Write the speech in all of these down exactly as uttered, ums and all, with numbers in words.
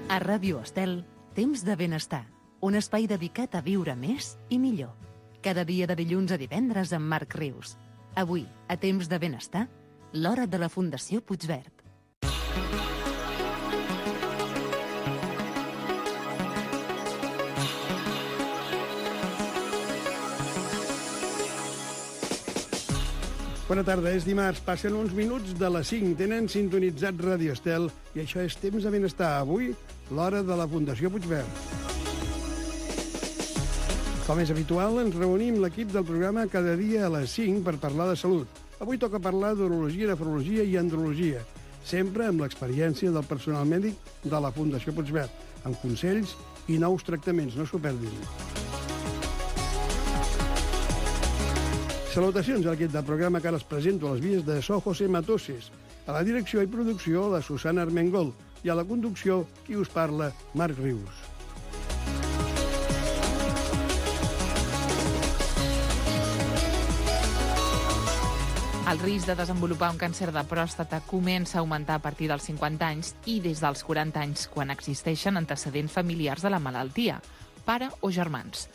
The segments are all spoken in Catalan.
A Ràdio Estel, Temps de Benestar, un espai dedicat a viure més i millor. Cada dia de dilluns a divendres amb Marc Rius. Avui, a Temps de Benestar, l'hora de la Fundació Puigverd. Bona tarda, és dimarts, passen uns minuts de les cinc, tenen sintonitzat Ràdio Estel i això és Temps de Benestar. Avui, l'hora de la Fundació Puigverd. Com és habitual, ens reunim l'equip del programa cada dia a les cinc per parlar de salut. Avui toca parlar d'urologia, nefrologia i andrologia, sempre amb l'experiència del personal mèdic de la Fundació Puigverd, amb consells i nous tractaments, no s'ho perdin. Salutacions a l'equip del programa que ara es presento a les vies de So José Matoses, a la direcció i producció la Susana Armengol i a la conducció qui us parla, Marc Rius. El risc de desenvolupar un càncer de pròstata comença a augmentar a partir dels cinquanta anys i des dels quaranta anys, quan existeixen antecedents familiars de la malaltia, pare o germans.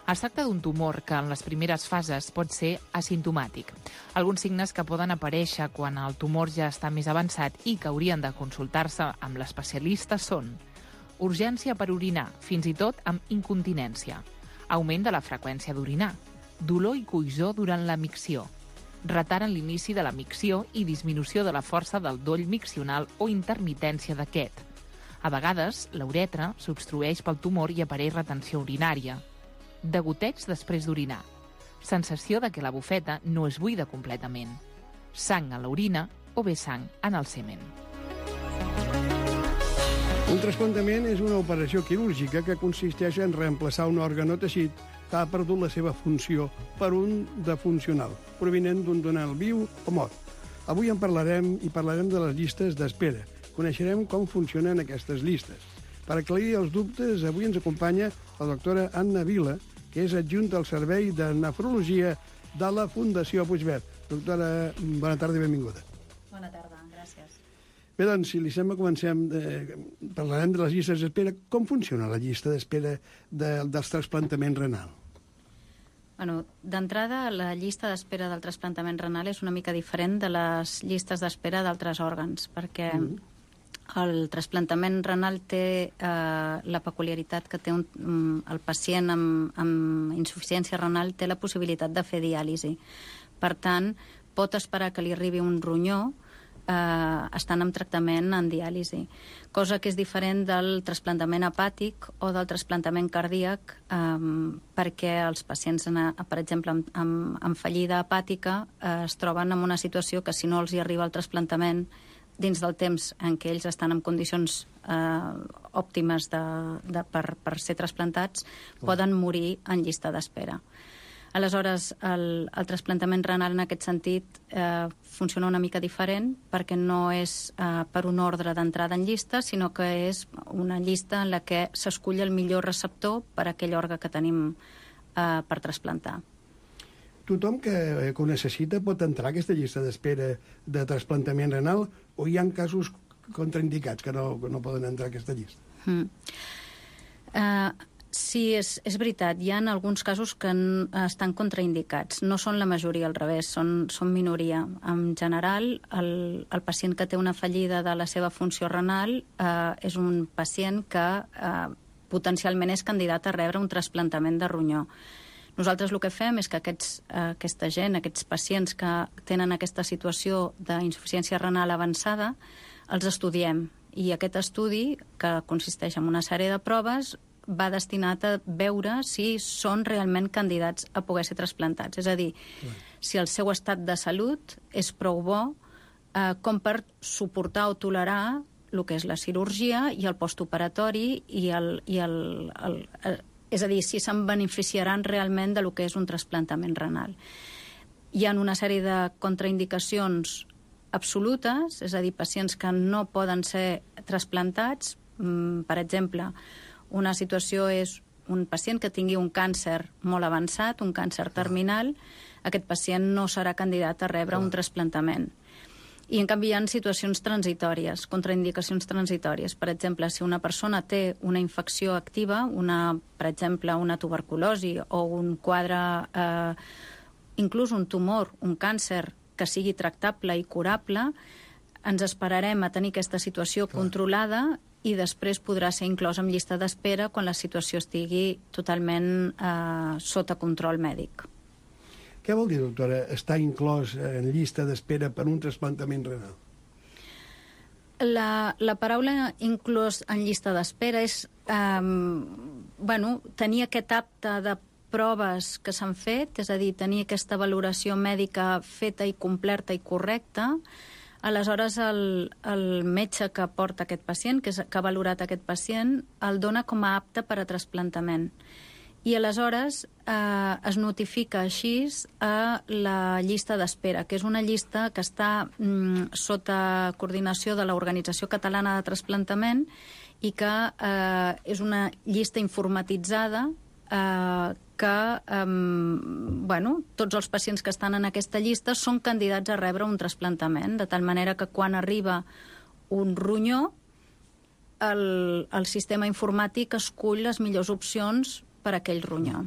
Es tracta d'un tumor que en les primeres fases pot ser asimptomàtic. Alguns signes que poden aparèixer quan el tumor ja està més avançat i que haurien de consultar-se amb l'especialista són urgència per orinar, fins i tot amb incontinència, augment de la freqüència d'orinar, dolor i coïssor durant la micció, retard en l'inici de la micció i disminució de la força del doll miccional o intermitència d'aquest. A vegades, la uretra s'obstrueix pel tumor i apareix retenció urinària. Degoteig després d'orinar. Sensació de que la bufeta no es buida completament. Sang a l'orina o bé sang en el semen. Un trasplantament és una operació quirúrgica que consisteix en reemplaçar un òrgan o teixit que ha perdut la seva funció per un de funcional, provinent d'un donant viu o mort. Avui en parlarem i parlarem de les llistes d'espera. Coneixerem com funcionen aquestes llistes. Per aclarir els dubtes, avui ens acompanya la doctora Anna Vila, que és adjunta al Servei de Nefrologia de la Fundació Puigverd. Doctora, bona tarda i benvinguda. Bona tarda, gràcies. Bé, doncs, si li sembla, comencem. Eh, parlarem de les llistes d'espera. Com funciona la llista d'espera de, dels trasplantaments renal? Bueno, d'entrada, la llista d'espera del trasplantament renal és una mica diferent de les llistes d'espera d'altres òrgans, perquè mm. el trasplantament renal té eh, la peculiaritat que té un, um, el pacient amb, amb insuficiència renal té la possibilitat de fer diàlisi. Per tant, pot esperar que li arribi un ronyó eh, estant en tractament en diàlisi, cosa que és diferent del trasplantament hepàtic o del trasplantament cardíac, eh, perquè els pacients, en, per exemple, amb, amb, amb fallida hepàtica eh, es troben en una situació que si no els hi arriba el trasplantament dins del temps en què ells estan en condicions eh, òptimes de, de, per, per ser trasplantats, oh. poden morir en llista d'espera. Aleshores, el, el trasplantament renal en aquest sentit eh, funciona una mica diferent perquè no és eh, per un ordre d'entrada en llista, sinó que és una llista en la que s'escull el millor receptor per a aquell òrgan que tenim eh, per trasplantar. Tothom que, que ho necessita pot entrar a aquesta llista d'espera de trasplantament renal o hi ha casos contraindicats que no, que no poden entrar a aquesta llista? Mm. Uh, sí, és, és veritat. Hi ha alguns casos que n, estan contraindicats. No són la majoria, al revés, són, són minoria. En general, el, el pacient que té una fallida de la seva funció renal uh, és un pacient que uh, potencialment és candidat a rebre un trasplantament de ronyó. Nosaltres el que fem és que aquests, eh, aquesta gent, aquests pacients que tenen aquesta situació d'insuficiència renal avançada, els estudiem. I aquest estudi, que consisteix en una sèrie de proves, va destinat a veure si són realment candidats a poder ser trasplantats. És a dir, sí. si el seu estat de salut és prou bo eh, com per suportar o tolerar el que és la cirurgia i el postoperatori i el... I el, el, el és a dir, si se'n beneficiaran realment de lo que és un trasplantament renal. Hi ha una sèrie de contraindicacions absolutes, és a dir, pacients que no poden ser trasplantats. Per exemple, una situació és un pacient que tingui un càncer molt avançat, un càncer terminal, aquest pacient no serà candidat a rebre un trasplantament. I, en canvi, hi ha situacions transitòries, contraindicacions transitòries. Per exemple, si una persona té una infecció activa, una, per exemple, una tuberculosi o un quadre, eh, inclús un tumor, un càncer que sigui tractable i curable, ens esperarem a tenir aquesta situació Clar. controlada i després podrà ser inclòs en llista d'espera quan la situació estigui totalment eh, sota control mèdic. Què vol dir, doctora, estar inclòs en llista d'espera per un trasplantament renal? La, la paraula inclòs en llista d'espera és eh, bueno, tenir aquest apte de proves que s'han fet, és a dir, tenir aquesta valoració mèdica feta i completa i correcta. Aleshores, el, el metge que porta aquest pacient, que, és, que ha valorat aquest pacient, el dona com a apte per a trasplantament. I aleshores eh, es notifica així a la llista d'espera, que és una llista que està mm, sota coordinació de l'Organització Catalana de Trasplantament i que eh, és una llista informatitzada eh, que eh, bueno, tots els pacients que estan en aquesta llista són candidats a rebre un trasplantament, de tal manera que quan arriba un ronyó, el, el sistema informàtic escull les millors opcions per a aquell ronyó.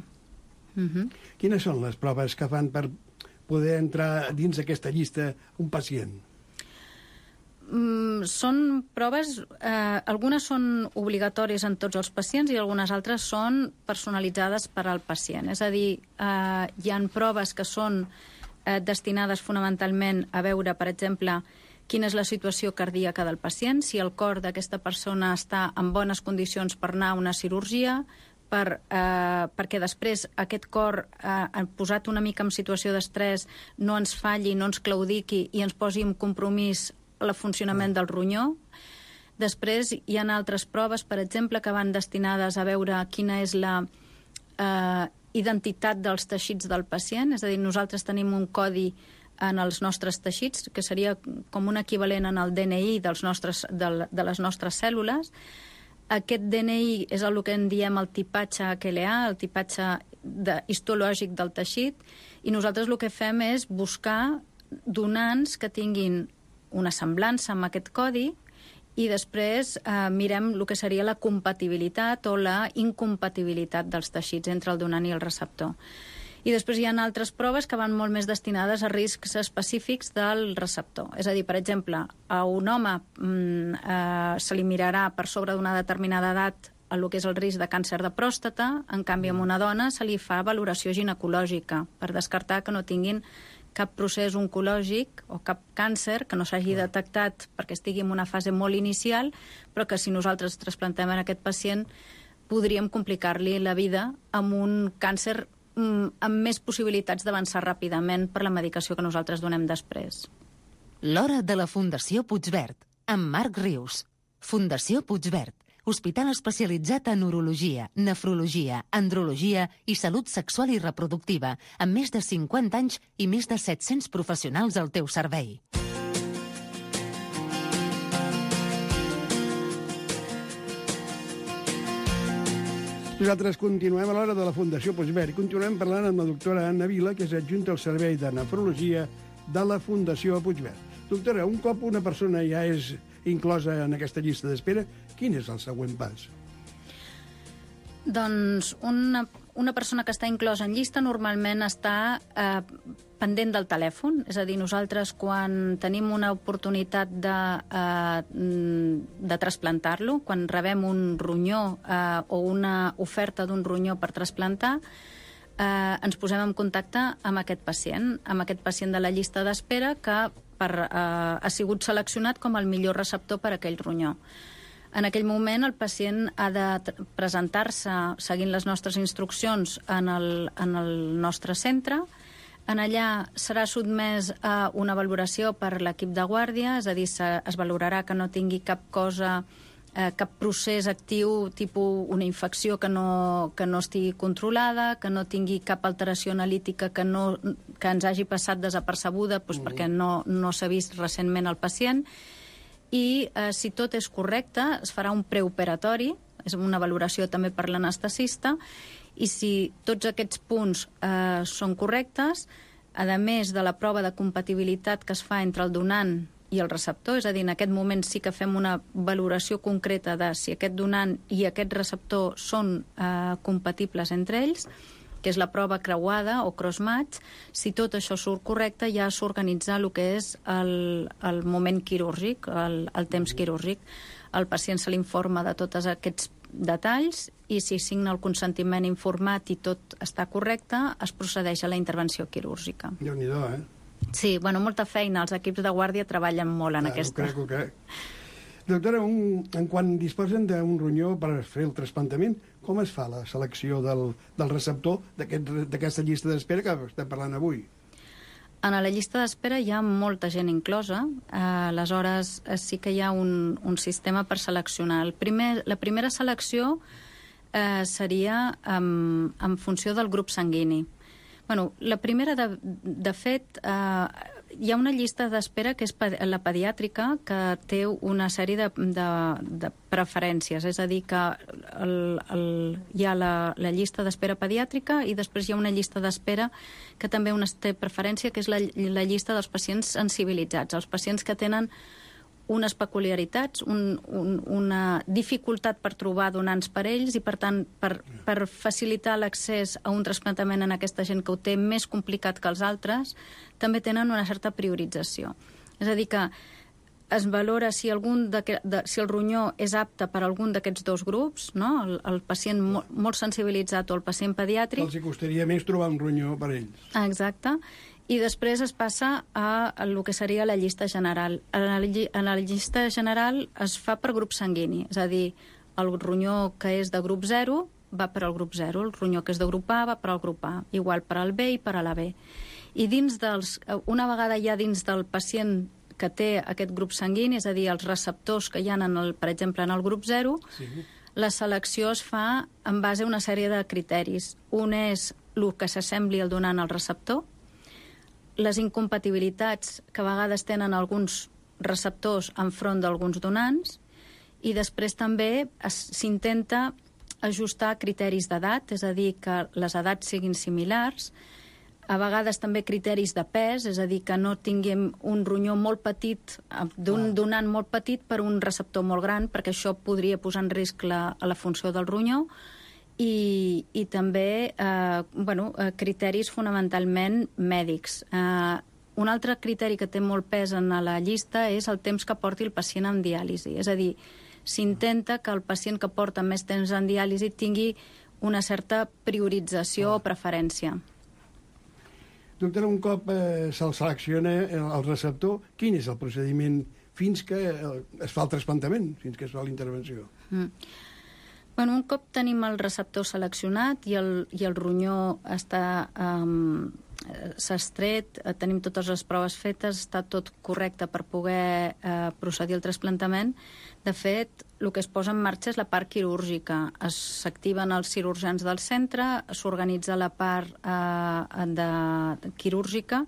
Uh-huh. Quines són les proves que fan per poder entrar dins aquesta llista un pacient? Mm, són proves, eh, algunes són obligatòries en tots els pacients i algunes altres són personalitzades per al pacient. És a dir, eh, hi ha proves que són eh, destinades fonamentalment a veure, per exemple, quina és la situació cardíaca del pacient, si el cor d'aquesta persona està en bones condicions per anar a una cirurgia, per, eh, perquè després aquest cor eh, posat una mica en situació d'estrès no ens falli, no ens claudiqui i ens posi en compromís el funcionament del ronyó. Després hi ha altres proves, per exemple, que van destinades a veure quina és la eh, identitat dels teixits del pacient, és a dir, nosaltres tenim un codi en els nostres teixits, que seria com un equivalent en el D N I dels nostres, de, de les nostres cèl·lules. Aquest D N I és el que en diem el tipatge H L A, el tipatge de, histològic del teixit, i nosaltres el que fem és buscar donants que tinguin una semblança amb aquest codi i després eh, mirem el que seria la compatibilitat o la incompatibilitat dels teixits entre el donant i el receptor. I després hi ha altres proves que van molt més destinades a riscs específics del receptor. És a dir, per exemple, a un home mm, eh, se li mirarà per sobre d'una determinada edat el que és el risc de càncer de pròstata, en canvi a una dona se li fa valoració ginecològica per descartar que no tinguin cap procés oncològic o cap càncer que no s'hagi detectat perquè estigui en una fase molt inicial, però que si nosaltres trasplantem en aquest pacient podríem complicar-li la vida amb un càncer amb més possibilitats d'avançar ràpidament per la medicació que nosaltres donem després. L'hora de la Fundació Puigverd, amb Marc Rius. Fundació Puigverd, hospital especialitzat en urologia, nefrologia, andrologia i salut sexual i reproductiva, amb més de cinquanta anys i més de set-cents professionals al teu servei. Nosaltres continuem a l'hora de la Fundació Puigverd i continuem parlant amb la doctora Anna Vila, que és adjunta al Servei de Nefrologia de la Fundació Puigverd. Doctora, un cop una persona ja és inclosa en aquesta llista d'espera, quin és el següent pas? Doncs una, una persona que està inclosa en llista normalment està eh, pendent del telèfon, és a dir, nosaltres quan tenim una oportunitat de, eh, de trasplantar-lo, quan rebem un ronyó eh, o una oferta d'un ronyó per trasplantar, eh, ens posem en contacte amb aquest pacient, amb aquest pacient de la llista d'espera que per, eh, ha sigut seleccionat com el millor receptor per a aquell ronyó. En aquell moment el pacient ha de presentar-se seguint les nostres instruccions en el, en el nostre centre. En allà serà sotmès a una valoració per l'equip de guàrdia, és a dir, es valorarà que no tingui cap cosa, eh, cap procés actiu, tipus una infecció que no, que no estigui controlada, que no tingui cap alteració analítica que, no, que ens hagi passat desapercebuda doncs, mm. perquè no, no s'ha vist recentment el pacient. I eh, si tot és correcte, es farà un preoperatori, és una valoració també per l'anestesista, i si tots aquests punts eh, són correctes, a més de la prova de compatibilitat que es fa entre el donant i el receptor, és a dir, en aquest moment sí que fem una valoració concreta de si aquest donant i aquest receptor són eh, compatibles entre ells, que és la prova creuada o cross-match. Si tot això surt correcte, ja s'organitza el que és el, el moment quirúrgic, el, el temps quirúrgic. Al pacient se l'informa de tots aquests detalls i si signa el consentiment informat i tot està correcte, es procedeix a la intervenció quirúrgica. Déu-n'hi-do, eh? Sí, bueno, molta feina. Els equips de guàrdia treballen molt en ah, aquesta. Ho crec, ho crec. Doctora, un, en quan disposen d'un ronyó per fer el trasplantament, com es fa la selecció del, del receptor d'aquesta aquest, llista d'espera que estem parlant avui? En la llista d'espera hi ha molta gent inclosa, eh, aleshores eh, sí que hi ha un, un sistema per seleccionar. El primer, la primera selecció eh, seria en, en funció del grup sanguini. Bueno, la primera, de, de fet, eh, hi ha una llista d'espera que és la pediàtrica, que té una sèrie de, de, de preferències, és a dir, que el, el, hi ha la, la llista d'espera pediàtrica i després hi ha una llista d'espera que també una té preferència, que és la, la llista dels pacients sensibilitzats, els pacients que tenen unes peculiaritats, un, un, una dificultat per trobar donants per ells i, per tant, per, per facilitar l'accés a un trasplantament en aquesta gent que ho té més complicat que els altres, també tenen una certa priorització. És a dir, que es valora si, algun de, de, si el ronyó és apte per a algun d'aquests dos grups, no? el, el pacient molt, molt sensibilitzat o el pacient pediàtric. Els hi costaria més trobar un ronyó per a ells. Exacte. I després es passa a el que seria la llista general. En la, en la llista general es fa per grup sanguini, és a dir, el ronyó que és de grup zero va per al grup zero, el ronyó que és de grup A va per al grup A, igual per al B i per a la B. I dins dels, una vegada ja dins del pacient que té aquest grup sanguini, és a dir, els receptors que hi ha, en el, per exemple, en el grup zero, sí. La selecció es fa en base a una sèrie de criteris. Un és el que s'assembli al donant al receptor, les incompatibilitats que a vegades tenen alguns receptors enfront d'alguns donants, i després també s'intenta ajustar criteris d'edat, és a dir, que les edats siguin similars, a vegades també criteris de pes, és a dir, que no tinguem un ronyó molt petit, d'un donant molt petit per un receptor molt gran, perquè això podria posar en risc la, la funció del ronyó, i, i també eh, bueno, eh, criteris fonamentalment mèdics. Eh, un altre criteri que té molt pes en la llista és el temps que porti el pacient en diàlisi. És a dir, s'intenta que el pacient que porta més temps en diàlisi tingui una certa priorització o preferència. Doctora, un cop eh, se'l selecciona el receptor, quin és el procediment fins que es fa el trasplantament, fins que es fa la intervenció? Mm. Bueno, un cop tenim el receptor seleccionat i el, i el ronyó està um, s'ha estret, tenim totes les proves fetes, està tot correcte per poder uh, procedir al trasplantament. De fet, el que es posa en marxa és la part quirúrgica. S'activen els cirurgians del centre, s'organitza la part uh, de, de quirúrgica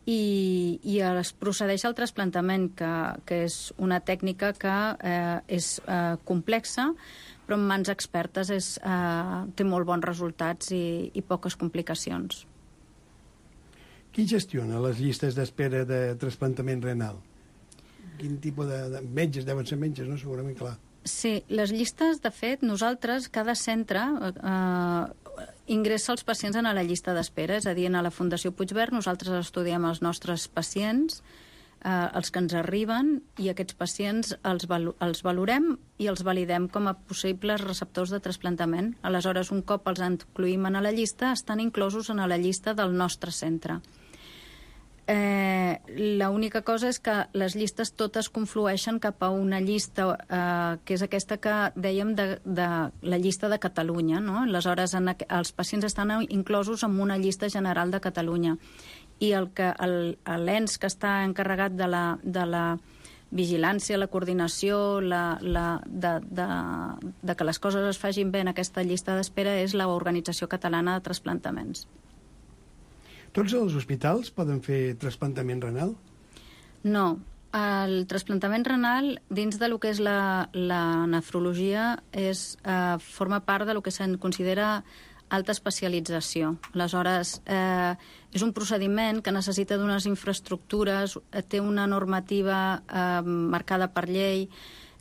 i, i es procedeix al trasplantament, que, que és una tècnica que uh, és uh, complexa, però en mans expertes és, eh, té molt bons resultats i, i poques complicacions. Qui gestiona les llistes d'espera de trasplantament renal? Quin tipus de, de metges? Deuen ser metges, no? Segurament, clar. Sí, les llistes, de fet, nosaltres, cada centre eh, ingressa els pacients en la llista d'espera, és a dir, a la Fundació Puigverd nosaltres estudiem els nostres pacients, eh, els que ens arriben, i aquests pacients els, valo els valorem i els validem com a possibles receptors de trasplantament. Aleshores, un cop els incloïm en la llista, estan inclosos en la llista del nostre centre. Eh, l'única cosa és que les llistes totes conflueixen cap a una llista eh, que és aquesta que dèiem de, de la llista de Catalunya, no? Aleshores, en, els pacients estan inclosos en una llista general de Catalunya, i el que l'ens que està encarregat de la, de la vigilància, la coordinació, la, la, de, de, de que les coses es facin bé en aquesta llista d'espera és l'Organització Catalana de Trasplantaments. Tots els hospitals poden fer trasplantament renal? No. El trasplantament renal, dins de lo que és la, la nefrologia, és, eh, forma part de lo que se'n considera alta especialització. Aleshores, eh, és un procediment que necessita d'unes infraestructures, té una normativa eh, marcada per llei,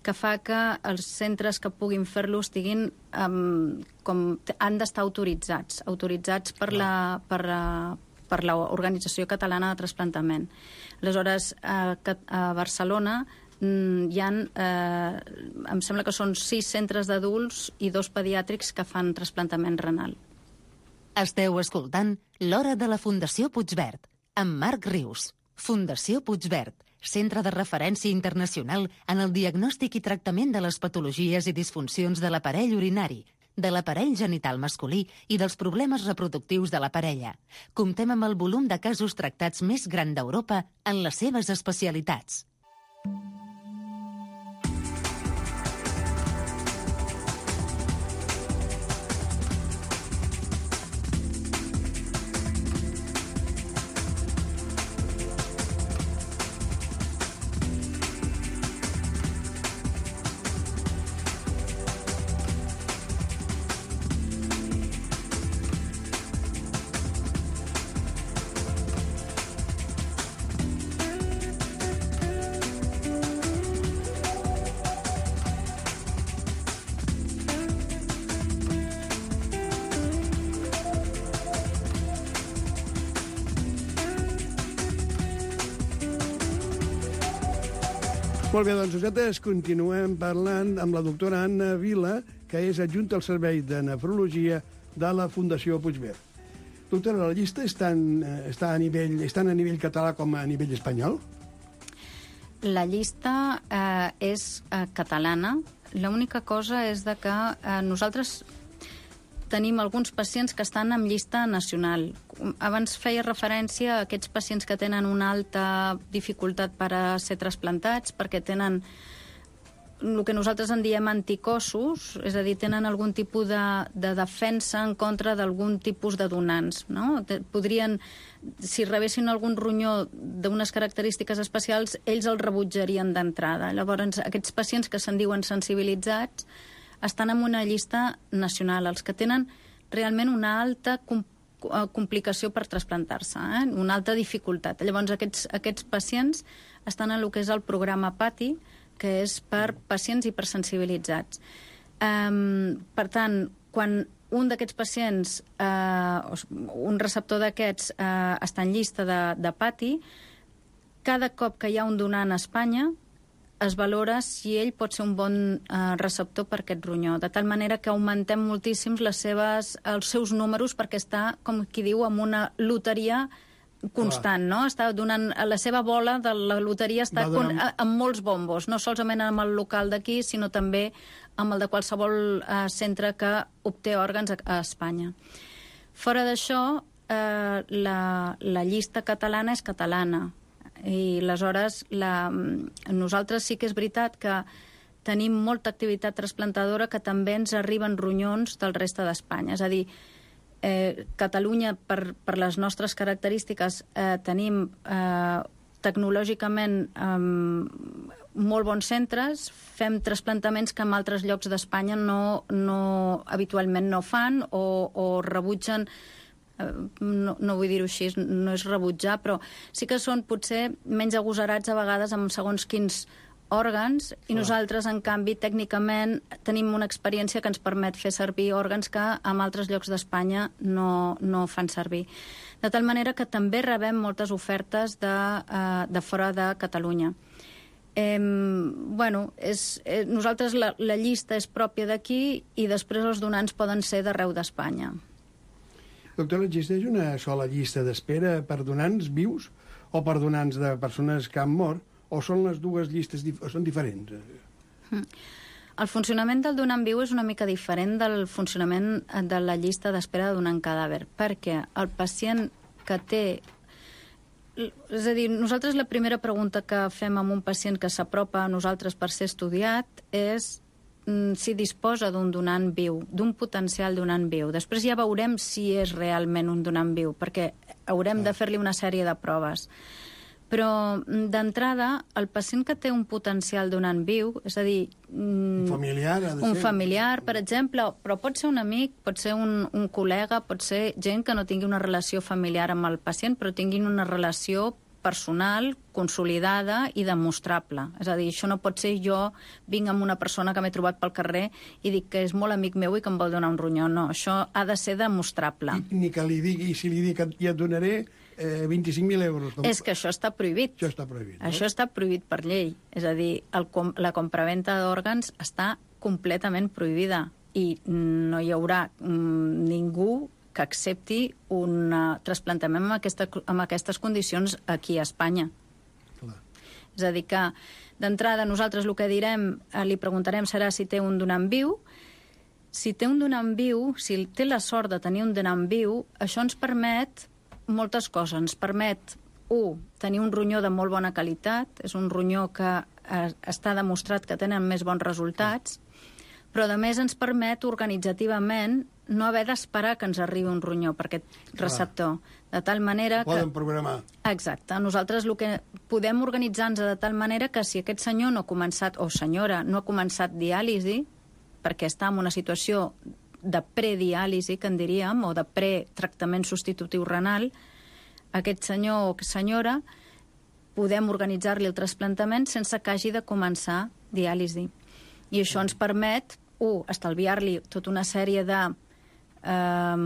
que fa que els centres que puguin fer-lo estiguin um, com han d'estar autoritzats, autoritzats per la, per, la, per l'Organització Catalana de Trasplantament. Aleshores, a, a Barcelona hi ha, eh, em sembla que són sis centres d'adults i dos pediàtrics que fan trasplantament renal. Esteu escoltant L'Hora de la Fundació Puigverd, amb Marc Rius. Fundació Puigverd, centre de referència internacional en el diagnòstic i tractament de les patologies i disfuncions de l'aparell urinari, de l'aparell genital masculí i dels problemes reproductius de la parella. Comptem amb el volum de casos tractats més gran d'Europa en les seves especialitats. Molt bé, doncs nosaltres continuem parlant amb la doctora Anna Vila, que és adjunta al Servei de Nefrologia de la Fundació Puigverd. Doctora, la llista està, en, està, a nivell, està a nivell català com a nivell espanyol? La llista eh, és eh, catalana. L'única cosa és de que eh, nosaltres tenim alguns pacients que estan en llista nacional. Abans feia referència a aquests pacients que tenen una alta dificultat per a ser trasplantats, perquè tenen el que nosaltres en diem anticossos, és a dir, tenen algun tipus de, de defensa en contra d'algun tipus de donants. No? Podrien, si rebessin algun ronyó d'unes característiques especials, ells el rebutjarien d'entrada. Llavors, aquests pacients que se'n diuen sensibilitzats estan en una llista nacional, els que tenen realment una alta complicació per trasplantar-se, eh? Una alta dificultat. Llavors, aquests, aquests pacients estan en el que és el programa PATI, que és per pacients hipersensibilitzats. Um, per tant, quan un d'aquests pacients, uh, un receptor d'aquests, uh, està en llista de, de PATI, cada cop que hi ha un donant a Espanya, es valora si ell pot ser un bon eh, receptor per aquest ronyó, de tal manera que augmentem moltíssim les seves, els seus números, perquè està, com qui diu, amb una loteria constant, no? Està donant, la seva bola de la loteria està con, amb molts bombos, no solament amb el local d'aquí, sinó també amb el de qualsevol eh, centre que obté òrgans a, a Espanya. Fora d'això, eh, la, la llista catalana és catalana, i aleshores la, nosaltres sí que és veritat que tenim molta activitat trasplantadora que també ens arriben ronyons del reste d'Espanya. És a dir, eh, Catalunya, per, per les nostres característiques, eh, tenim eh, tecnològicament eh, molt bons centres, fem trasplantaments que en altres llocs d'Espanya no, no, habitualment no fan o, o rebutgen. No, no vull dir-ho així, no és rebutjar, però sí que són potser menys agosarats a vegades amb segons quins òrgans, i nosaltres, en canvi, tècnicament tenim una experiència que ens permet fer servir òrgans que en altres llocs d'Espanya no, no fan servir. De tal manera que també rebem moltes ofertes de, uh, de fora de Catalunya. Eh, bueno, és, eh, nosaltres la, la llista és pròpia d'aquí i després els donants poden ser d'arreu d'Espanya. Doctora, existeix una sola llista d'espera per donants vius o per donants de persones que han mort, o són les dues llistes dif- o són diferents? El funcionament del donant viu és una mica diferent del funcionament de la llista d'espera de donant cadàver, perquè el pacient que té... És a dir, nosaltres la primera pregunta que fem amb un pacient que s'apropa a nosaltres per ser estudiat és si disposa d'un donant viu, d'un potencial donant viu. Després ja veurem si és realment un donant viu, perquè haurem de fer-li una sèrie de proves. Però, d'entrada, el pacient que té un potencial donant viu, és a dir... Un familiar, ha de ser. Un familiar, per exemple, però pot ser un amic, pot ser un, un col·lega, pot ser gent que no tingui una relació familiar amb el pacient, però tinguin una relació personal, consolidada i demostrable. És a dir, això no pot ser jo vinc amb una persona que m'he trobat pel carrer i dic que és molt amic meu i que em vol donar un ronyó. No, això ha de ser demostrable. I, ni que li digui, si li dic que ja et donaré eh, vint-i-cinc mil euros. És que això està prohibit. Això està prohibit. No? Això està prohibit per llei. És a dir, el, la compraventa d'òrgans està completament prohibida i no hi haurà mm, ningú que accepti un uh, trasplantament amb, aquesta, amb aquestes condicions aquí a Espanya. Clar. És a dir que, d'entrada, nosaltres el que direm, eh, li preguntarem serà si té un donant viu. Si té un donant viu, si té la sort de tenir un donant viu, això ens permet moltes coses. Ens permet, un, tenir un ronyó de molt bona qualitat, és un ronyó que eh, està demostrat que tenen més bons resultats, però a més ens permet organitzativament no haver d'esperar que ens arribi un ronyó per aquest receptor. De tal manera que... Poden programar. Exacte. Nosaltres el que podem organitzar-nos de tal manera que si aquest senyor no ha començat, o senyora, no ha començat diàlisi, perquè està en una situació de prediàlisi, que en diríem, o de pretractament substitutiu renal, aquest senyor o senyora podem organitzar-li el trasplantament sense que hagi de començar diàlisi. I això ens permet, un, estalviar-li tota una sèrie de eh,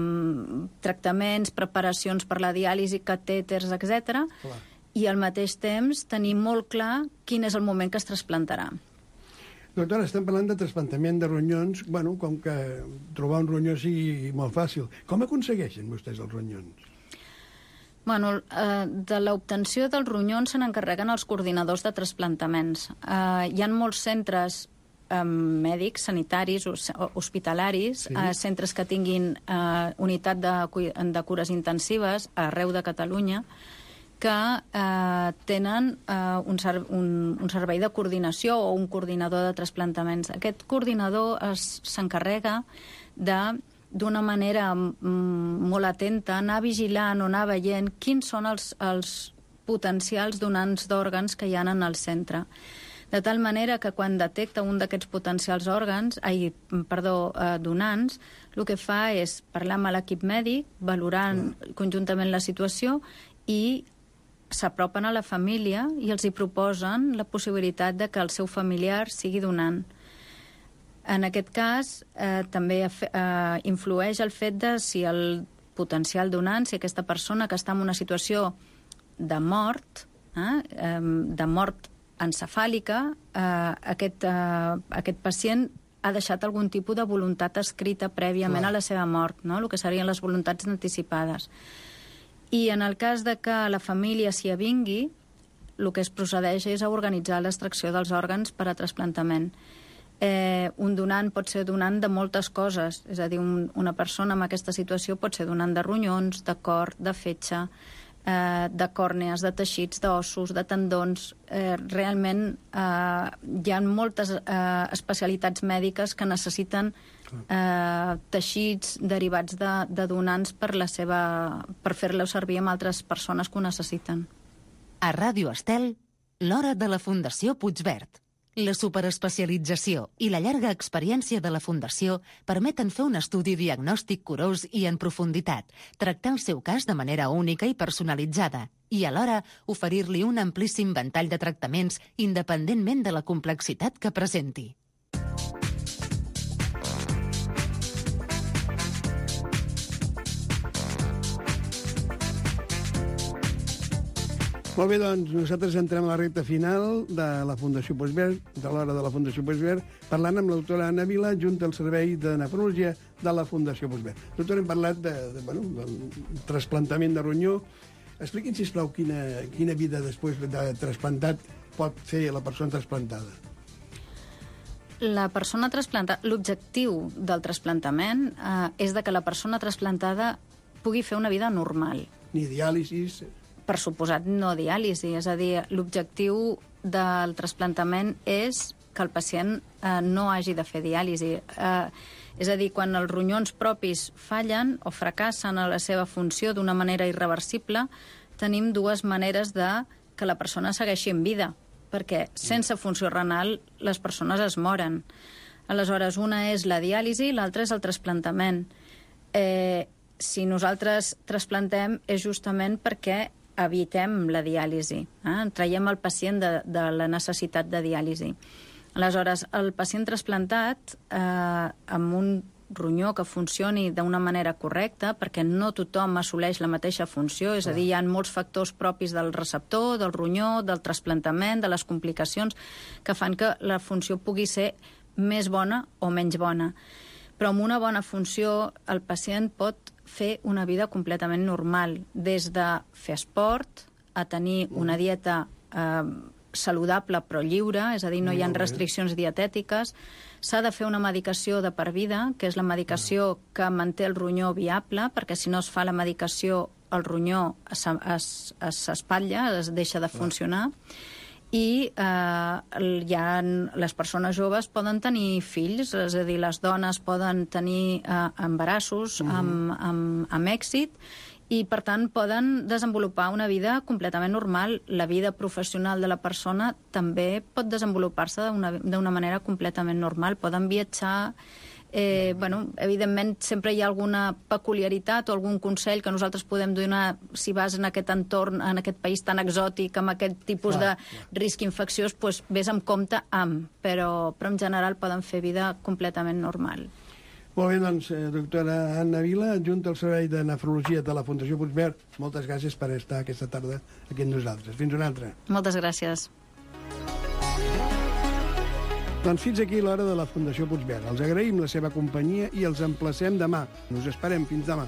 tractaments, preparacions per la diàlisi, catèters, etcètera, i al mateix temps tenir molt clar quin és el moment que es trasplantarà. Doctora, estem parlant de trasplantament de ronyons, bueno, com que trobar un ronyó sigui molt fàcil. Com aconsegueixen vostès els ronyons? Bueno, eh, de l'obtenció dels ronyons se n'encarreguen els coordinadors de trasplantaments. Eh, hi ha molts centres eh, mèdics, sanitaris, hospitalaris, sí. eh, centres que tinguin eh, unitat de, de cures intensives arreu de Catalunya, que eh, tenen eh, un, un, un servei de coordinació o un coordinador de trasplantaments. Aquest coordinador s'encarrega de, d'una manera mm, molt atenta, anar vigilant o anar veient quins són els, els potencials donants d'òrgans que hi ha en el centre. De tal manera que quan detecta un d'aquests potencials òrgans, ai, perdó, eh, donants, el que fa és parlar amb l'equip mèdic, valorant mm. conjuntament la situació i s'apropen a la família i els hi proposen la possibilitat de que el seu familiar sigui donant. En aquest cas, eh, també eh, influeix el fet de si el potencial donant, si aquesta persona que està en una situació de mort, eh, de mort encefàlica, eh, aquest, eh, aquest pacient ha deixat algun tipus de voluntat escrita prèviament Clar. a la seva mort, no? El que serien les voluntats anticipades. I en el cas de que la família s'hi avingui, el que es procedeix és a organitzar l'extracció dels òrgans per a trasplantament. Eh, un donant pot ser donant de moltes coses, és a dir, un, una persona en aquesta situació pot ser donant de ronyons, de cor, de fetge, eh, de còrnees, de teixits, d'ossos, de tendons. Eh, realment eh, hi ha moltes eh, especialitats mèdiques que necessiten eh, teixits derivats de, de donants per, la seva, per fer-lo servir amb altres persones que ho necessiten. A Ràdio Estel, l'hora de la Fundació Puigverd. La superespecialització i la llarga experiència de la Fundació permeten fer un estudi diagnòstic curós i en profunditat, tractar el seu cas de manera única i personalitzada i, alhora, oferir-li un amplíssim ventall de tractaments independentment de la complexitat que presenti. Molt bé, doncs nosaltres entrem a la recta final de la Fundació Puigverd, de l'hora de la Fundació Puigverd, parlant amb l'autora Anna Vila, junta al Servei de Nefrologia de la Fundació Puigverd. Doctora, hem parlat de, de, bueno, del trasplantament de ronyó. Expliqui'ns, sisplau, quina, quina vida després de trasplantat pot fer la persona trasplantada. La persona trasplantada, l'objectiu del trasplantament eh, és de que la persona trasplantada pugui fer una vida normal. Ni diàlisis... Per suposat, no diàlisi. És a dir, l'objectiu del trasplantament és que el pacient eh, no hagi de fer diàlisi. Eh, és a dir, quan els ronyons propis fallen o fracassen a la seva funció d'una manera irreversible, tenim dues maneres de que la persona segueixi en vida, perquè sense funció renal les persones es moren. Aleshores, una és la diàlisi i l'altra és el trasplantament. Eh, si nosaltres trasplantem és justament perquè evitem la diàlisi, eh? traiem el pacient de, de la necessitat de diàlisi. Aleshores, el pacient trasplantat, eh, amb un ronyó que funcioni d'una manera correcta, perquè no tothom assoleix la mateixa funció, és a dir, hi ha molts factors propis del receptor, del ronyó, del trasplantament, de les complicacions, que fan que la funció pugui ser més bona o menys bona. Però amb una bona funció el pacient pot fer una vida completament normal, des de fer esport, a tenir una dieta eh, saludable però lliure, és a dir, no hi ha restriccions dietètiques. S'ha de fer una medicació de per vida, que és la medicació que manté el ronyó viable, perquè si no es fa la medicació el ronyó s'espatlla, es deixa de funcionar. I eh, ja les persones joves poden tenir fills, és a dir, les dones poden tenir eh, embarassos uh-huh. amb, amb, amb èxit, i, per tant, poden desenvolupar una vida completament normal. La vida professional de la persona també pot desenvolupar-se d'una manera completament normal. Poden viatjar. Eh, bueno, evidentment, sempre hi ha alguna peculiaritat o algun consell que nosaltres podem donar si vas en aquest entorn, en aquest país tan exòtic, amb aquest tipus clar, de clar. risc infecciós, doncs vés amb compte amb, però, però en general poden fer vida completament normal. Molt bé, doncs, eh, doctora Anna Vila, adjunta al Servei de Nefrologia de la Fundació Puigverd, moltes gràcies per estar aquesta tarda aquí amb nosaltres. Fins una altra. Moltes gràcies. Doncs fins aquí l'hora de la Fundació Puigverd. Els agraïm la seva companyia i els emplacem demà. Us esperem fins demà.